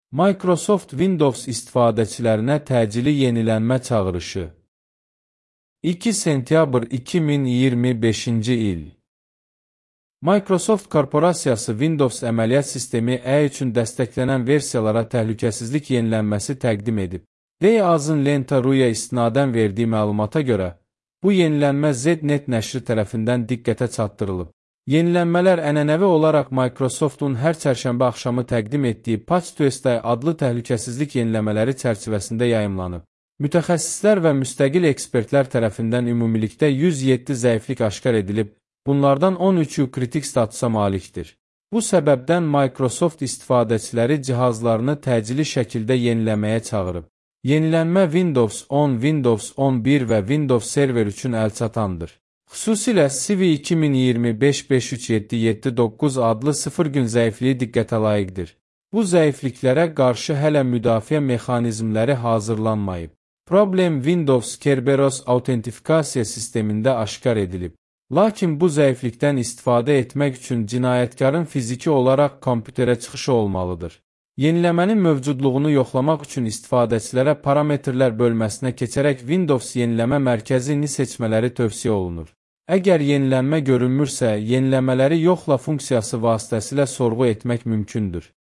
Microsoft Windows istifadəçilərinə təcili yenilənmə çağırışı. 2 sentyabr 2025-ci il. Microsoft korporasiyası Windows əməliyyat sistemi E üçün dəstəklənən versiyalara təhlükəsizlik yenilənməsi təqdim edib. Azın Lenta.ru-ya istinadən verdiyi məlumata görə, bu yenilənmə ZNet nəşri tərəfindən diqqətə çatdırılıb. Yenilənmələr ənənəvi olaraq Microsoftun hər çərşənbə axşamı təqdim etdiyi Patch Tuesday adlı təhlükəsizlik yeniləmələri çərçivəsində yayımlanıb. Mütəxəssislər və müstəqil ekspertlər tərəfindən ümumilikdə 107 zəiflik aşkar edilib, bunlardan 13-ü kritik statusa malikdir. Bu səbəbdən Microsoft istifadəçiləri cihazlarını təcili şəkildə yeniləməyə çağırıb. Yenilənmə Windows 10, Windows 11 və Windows Server üçün əlçatandır. Xüsusilə CV 2025-53779 adlı 0 gün zəifliyi diqqətə layiqdir. Bu zəifliklərə qarşı hələ müdafiə mexanizmləri hazırlanmayıb. Problem Windows Kerberos autentifikasiya sistemində aşkar edilib. Lakin bu zəiflikdən istifadə etmək üçün cinayətkarın fiziki olaraq kompüterə çıxışı olmalıdır. Yeniləmənin mövcudluğunu yoxlamaq üçün istifadəçilərə parametrlər bölməsinə keçərək Windows yeniləmə mərkəzini seçmələri tövsiyə olunur. Əgər yenilənmə görünmürsə, yeniləmələri yoxla funksiyası vasitəsilə sorğu etmək mümkündür.